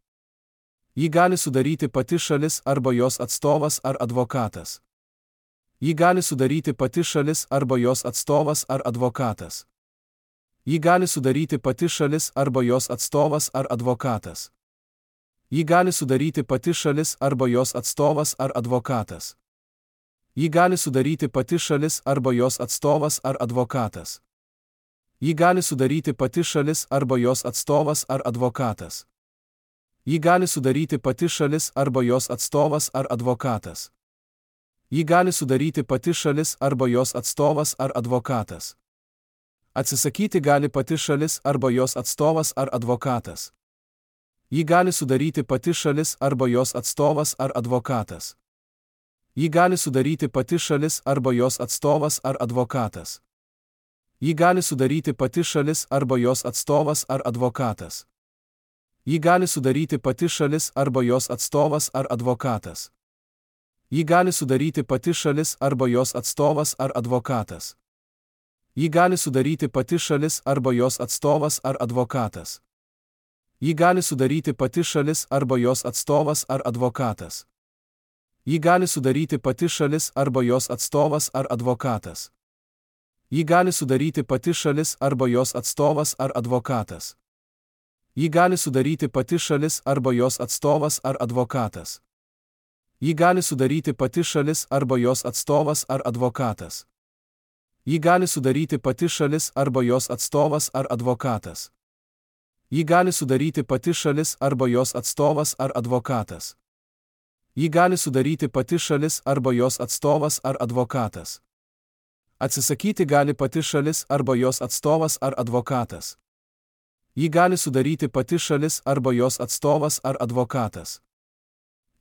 Jį gali sudaryti pati šalis arba jos atstovas ar advokatas. Jį gali sudaryti pati šalis arba jos atstovas ar advokatas. Jį gali sudaryti pati šalis arba jos atstovas ar advokatas. Jį gali sudaryti pati šalis arba jos atstovas ar advokatas. Jį gali sudaryti pati šalis arba jos atstovas ar advokatas. Jį gali sudaryti pati šalis arba jos atstovas ar advokatas. Jį gali sudaryti pati šalis arba jos atstovas ar advokatas. Jį gali sudaryti pati šalis arba jos atstovas ar advokatas. Atsisakyti gali pati šalis arba jos atstovas ar advokatas. Jį gali sudaryti pati šalis arba jos atstovas ar advokatas. Jį gali sudaryti pati šalis arba jos atstovas ar advokatas. Jį gali sudaryti pati šalis arba jos atstovas ar advokatas. Jį gali sudaryti pati šalis arba jos atstovas ar advokatas. Jį gali sudaryti pati šalis arba jos atstovas ar advokatas. Jį gali sudaryti pati šalis arba jos atstovas ar advokatas. Jį gali sudaryti pati šalis arba jos atstovas ar advokatas. Jį gali sudaryti pati šalis arba jos atstovas ar advokatas. Jį gali sudaryti pati šalis arba jos atstovas ar advokatas. Jį gali sudaryti pati šalis arba jos atstovas ar advokatas. Jį gali sudaryti pati šalis arba jos atstovas ar advokatas. Jį gali sudaryti pati šalis arba jos atstovas ar advokatas. Jį gali sudaryti pati šalis arba jos atstovas ar advokatas. Jį gali sudaryti pati šalis arba jos atstovas ar advokatas. Atsisakyti gali pati šalis arba jos atstovas ar advokatas. Jį gali sudaryti pati šalis arba jos atstovas ar advokatas.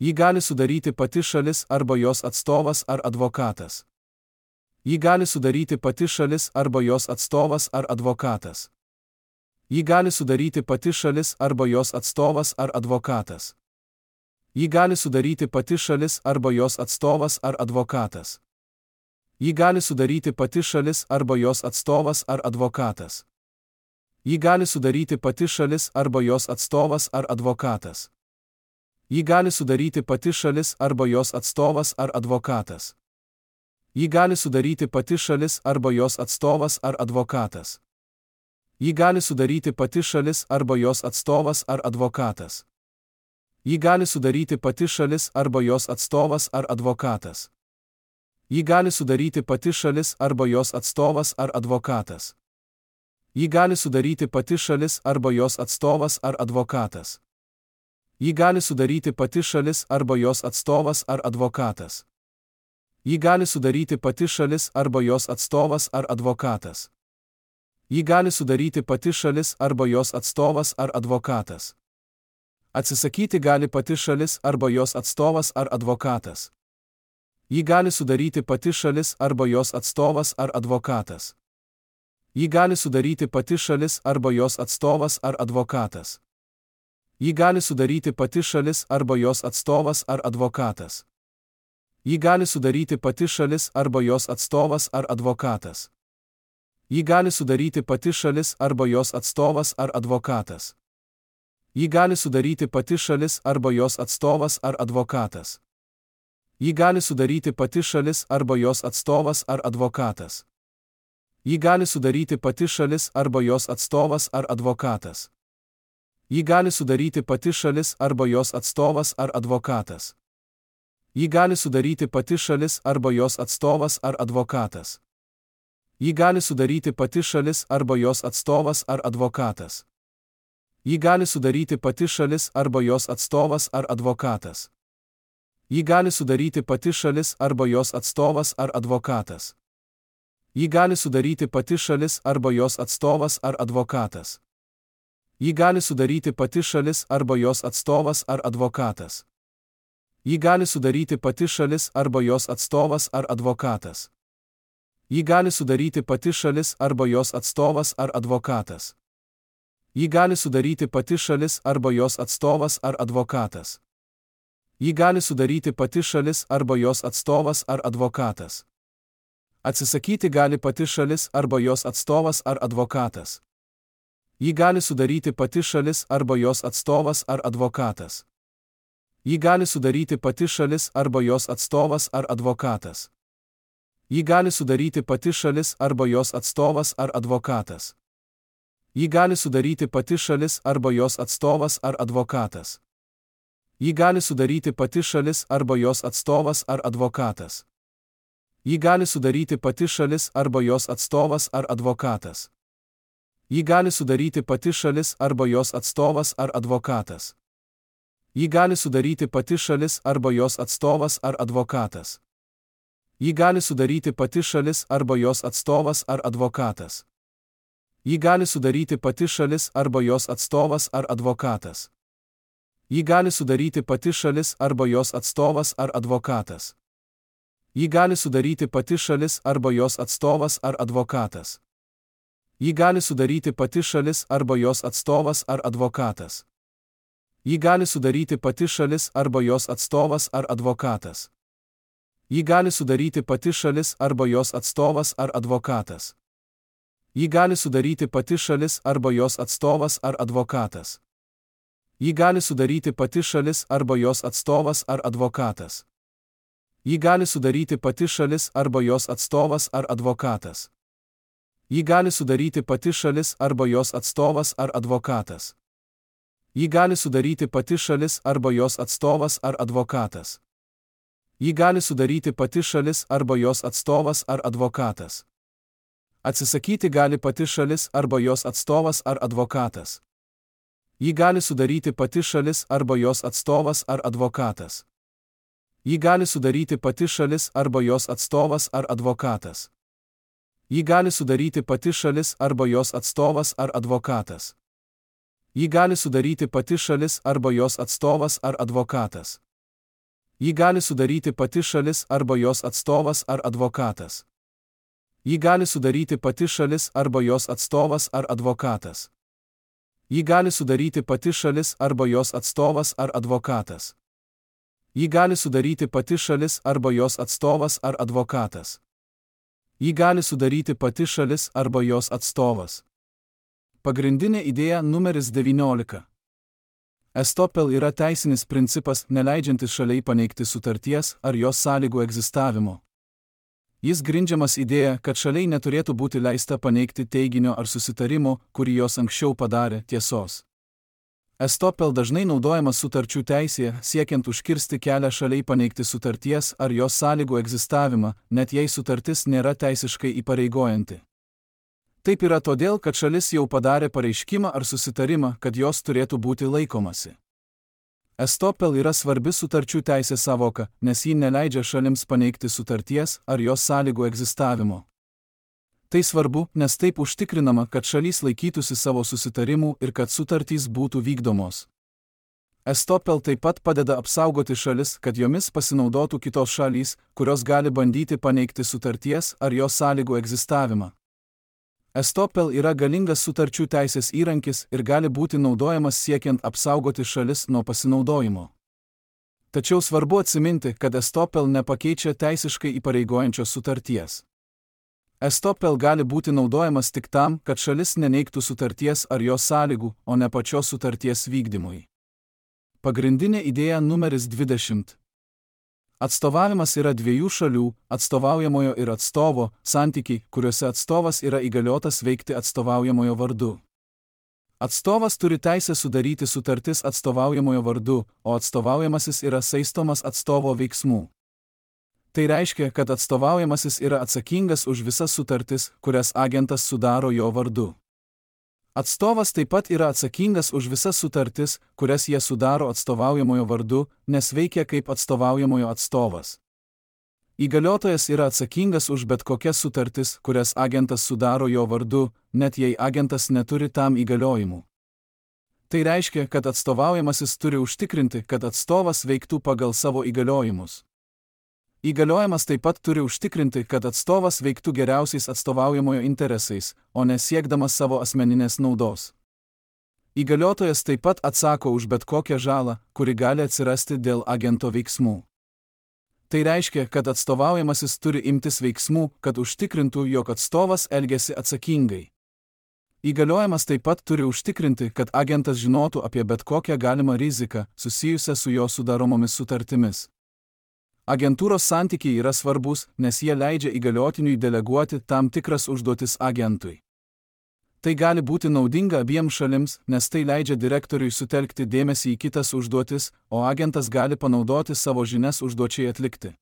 Jį gali sudaryti pati šalis arba jos atstovas ar advokatas. Jį gali sudaryti pati šalis arba jos atstovas ar advokatas. Jį gali sudaryti pati šalis arba jos atstovas ar advokatas. Jį gali sudaryti pati šalis arba jos atstovas ar advokatas. Jį gali sudaryti pati šalis arba jos atstovas ar advokatas. Jį gali sudaryti pati šalis arba jos atstovas ar advokatas. Jį gali sudaryti pati šalis arba jos atstovas ar advokatas. Jį gali sudaryti pati šalis arba jos atstovas ar advokatas. Jį gali sudaryti pati šalis arba jos atstovas ar advokatas. Jį gali sudaryti pati šalis arba jos atstovas ar advokatas. Jį gali sudaryti pati šalis arba jos atstovas ar advokatas. Jį gali sudaryti pati šalis arba jos atstovas ar advokatas. Jį gali sudaryti pati šalis arba jos atstovas ar advokatas. Jį gali sudaryti pati šalis arba jos atstovas ar advokatas. Jį gali sudaryti pati šalis arba jos atstovas ar advokatas. Atsisakyti gali pati šalis arba jos atstovas ar advokatas. Jį gali sudaryti pati šalis arba jos atstovas ar advokatas. Jį gali sudaryti pati šalis arba jos atstovas ar advokatas. Jį gali sudaryti pati šalis arba jos atstovas ar advokatas. Jį gali sudaryti pati šalis arba jos atstovas ar advokatas. Jį gali sudaryti pati šalis arba jos atstovas ar advokatas. Jį gali sudaryti pati šalis arba jos atstovas ar advokatas. Jį gali sudaryti pati šalis arba jos atstovas ar advokatas. Jį gali sudaryti pati šalis arba jos atstovas ar advokatas. Jį gali sudaryti pati šalis arba jos atstovas ar advokatas. Jį gali sudaryti pati šalis arba jos atstovas ar advokatas. Jį gali sudaryti pati šalis arba jos atstovas ar advokatas. Jį gali sudaryti pati šalis arba jos atstovas ar advokatas. Jį gali sudaryti pati šalis arba jos atstovas ar advokatas. Jį gali sudaryti pati šalis arba jos atstovas ar advokatas. Jį gali sudaryti pati šalis arba jos atstovas ar advokatas. Jį gali sudaryti pati šalis arba jos atstovas ar advokatas. Jį gali sudaryti pati šalis arba jos atstovas ar advokatas. Jį gali sudaryti pati šalis arba jos atstovas ar advokatas. Jį gali sudaryti pati šalis arba jos atstovas ar advokatas. Atsisakyti gali pati šalis arba jos atstovas ar advokatas. Jį gali sudaryti pati šalis arba jos atstovas ar advokatas. Jį gali sudaryti pati šalis arba jos atstovas ar advokatas. Jį gali sudaryti pati šalis arba jos atstovas ar advokatas. Jį gali sudaryti pati šalis arba jos atstovas ar advokatas. Jį gali sudaryti pati šalis arba jos atstovas ar advokatas. Jį gali sudaryti pati šalis arba jos atstovas ar advokatas. Jį gali sudaryti pati šalis arba jos atstovas ar advokatas. Jį gali sudaryti pati šalis arba jos atstovas ar advokatas. Jį gali sudaryti pati šalis arba jos atstovas ar advokatas. Jį gali sudaryti pati šalis arba jos atstovas ar advokatas. Jį gali sudaryti pati šalis arba jos atstovas ar advokatas. Jį gali sudaryti pati šalis arba jos atstovas ar advokatas. Jį gali sudaryti pati šalis arba jos atstovas ar advokatas. Jį gali sudaryti pati šalis arba jos atstovas ar advokatas. Jį gali sudaryti pati šalis arba jos atstovas ar advokatas. Jį gali sudaryti pati šalis arba jos atstovas ar advokatas. Jį gali sudaryti pati šalis arba jos atstovas ar advokatas. Jį gali sudaryti pati šalis arba jos atstovas ar advokatas. Jį gali sudaryti pati šalis arba jos atstovas ar advokatas. Jį gali sudaryti pati šalis arba jos atstovas ar advokatas. Jį gali sudaryti pati šalis arba jos atstovas ar advokatas. Atsisakyti gali pati šalis arba jos atstovas ar advokatas. Jį gali sudaryti pati šalis arba jos atstovas ar advokatas. Jį gali sudaryti pati šalis arba jos atstovas ar advokatas. Jį gali sudaryti pati šalis arba jos atstovas ar advokatas. Jį gali sudaryti pati šalis arba jos atstovas ar advokatas. Jį gali sudaryti pati šalis arba jos atstovas ar advokatas. Jį gali sudaryti pati šalis arba jos atstovas ar advokatas. Jį gali sudaryti pati šalis arba jos atstovas ar advokatas. Jį gali sudaryti pati šalis arba jos atstovas ar advokatas. Jį gali sudaryti pati šalis arba jos atstovas. Pagrindinė idėja numeris devyniolika. Estopel yra teisinis principas, neleidžiantis šaliai paneigti sutarties ar jos sąlygų egzistavimo. Jis grindžiamas idėja, kad šaliai neturėtų būti leista paneigti teiginio ar susitarimo, kurį jos anksčiau padarė, tiesos. Estopel dažnai naudojamas sutarčių teisėje, siekiant užkirsti kelią šaliai paneigti sutarties ar jos sąlygų egzistavimą, net jei sutartis nėra teisiškai įpareigojanti. Taip yra todėl, kad šalis jau padarė pareiškimą ar susitarimą, kad jos turėtų būti laikomasi. Estopel yra svarbi sutarčių teisės sąvoka, nes ji neleidžia šalims paneigti sutarties ar jos sąlygų egzistavimo. Tai svarbu, nes taip užtikrinama, kad šalys laikytųsi savo susitarimų ir kad sutartys būtų vykdomos. Estopel taip pat padeda apsaugoti šalis, kad jomis pasinaudotų kitos šalys, kurios gali bandyti paneigti sutarties ar jos sąlygų egzistavimą. Estopel yra galingas sutarčių teisės įrankis ir gali būti naudojamas siekiant apsaugoti šalis nuo pasinaudojimo. Tačiau svarbu atsiminti, kad estopel nepakeičia teisiškai įpareigojančios sutarties. Estopel gali būti naudojamas tik tam, kad šalis neneigtų sutarties ar jos sąlygų, o ne pačios sutarties vykdymui. Pagrindinė idėja numeris dvidešimt. Atstovavimas yra dviejų šalių, atstovaujamojo ir atstovo, santykiai, kuriuose atstovas yra įgaliotas veikti atstovaujamojo vardu. Atstovas turi teisę sudaryti sutartis atstovaujamojo vardu, o atstovaujamasis yra saistomas atstovo veiksmų. Tai reiškia, kad atstovaujamasis yra atsakingas už visas sutartis, kurias agentas sudaro jo vardu. Atstovas taip pat yra atsakingas už visas sutartis, kurias jie sudaro atstovaujamojo vardu, nes veikia kaip atstovaujamojo atstovas. Įgaliotojas yra atsakingas už bet kokias sutartis, kurias agentas sudaro jo vardu, net jei agentas neturi tam įgaliojimų. Tai reiškia, kad atstovaujamasis turi užtikrinti, kad atstovas veiktų pagal savo įgaliojimus. Įgaliojimas taip pat turi užtikrinti, kad atstovas veiktų geriausiais atstovaujamojo interesais, o ne siekdamas savo asmeninės naudos. Įgaliotojas taip pat atsako už bet kokią žalą, kuri gali atsirasti dėl agento veiksmų. Tai reiškia, kad atstovaujamasis turi imtis veiksmų, kad užtikrintų, jog atstovas elgiasi atsakingai. Įgaliojimas taip pat turi užtikrinti, kad agentas žinotų apie bet kokią galimą riziką, susijusią su jo sudaromomis sutartimis. Agentūros santykiai yra svarbus, nes jie leidžia įgaliotiniui deleguoti tam tikras užduotis agentui. Tai gali būti naudinga abiem šalims, nes tai leidžia direktoriui sutelkti dėmesį į kitas užduotis, o agentas gali panaudoti savo žinias užduočiai atlikti.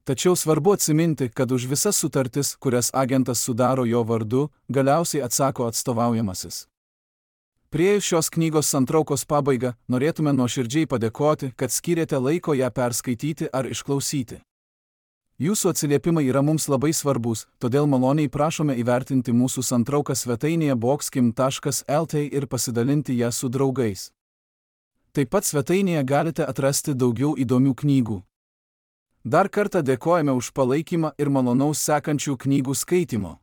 Tačiau svarbu atsiminti, kad už visas sutartis, kurias agentas sudaro jo vardu, galiausiai atsako atstovaujamasis. Priėjus šios knygos santraukos pabaigą, norėtume nuoširdžiai padėkoti, kad skyrėte laiko ją perskaityti ar išklausyti. Jūsų atsiliepimai yra mums labai svarbus, todėl maloniai prašome įvertinti mūsų santrauką svetainėje boxkim taškas el t ir pasidalinti ją su draugais. Taip pat svetainėje galite atrasti daugiau įdomių knygų. Dar kartą dėkojame už palaikymą ir malonaus sekančių knygų skaitymo.